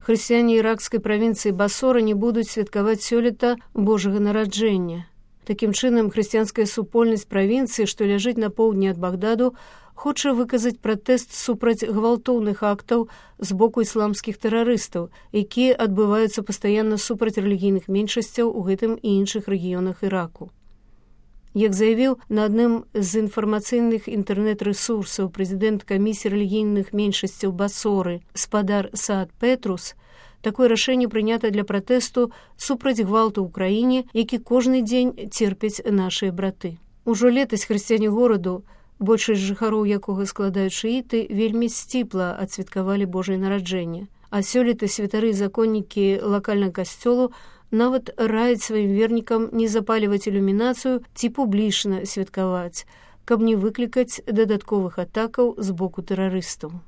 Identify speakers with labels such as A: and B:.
A: Хрысціяне іракскай правінцыі Басора не будуць святкаваць сёлета Божага нараджэння. Такім чынам, хрысціянская супольнасць правінцыі, што ляжыць на поўдні ад Багдаду, хоча выказаць пратэст супраць гвалтоўных актаў з боку ісламскіх тэрарыстаў, якія адбываюцца пастаянна супраць рэлігійных меншасцяў у гэтым і іншых рэгіёнах Іраку. Як заявіў на адным з інфармацыйных інтэрнэт-рэсурсаў прэзідэнт камісіі рэлігійных меншасцяў Басоры спадар Саад Петрус, такое рашэнне прынята для пратэсту супраць гвалту ў краіне, які кожны дзень церпяць нашыя браты. Ужо летась хрысціяне гораду, большасць жыхароў якога складаюць шыіты, вельмі сціпла адсвяткавалі Божае нараджэнне. А сёлета святары і законнікі лакальнага касцёлу нават раяць сваім вернікам не запаліваць ілюмінацыю ці публічна святкаваць, каб не выклікаць дадатковых атакаў з боку тэрарыстаў.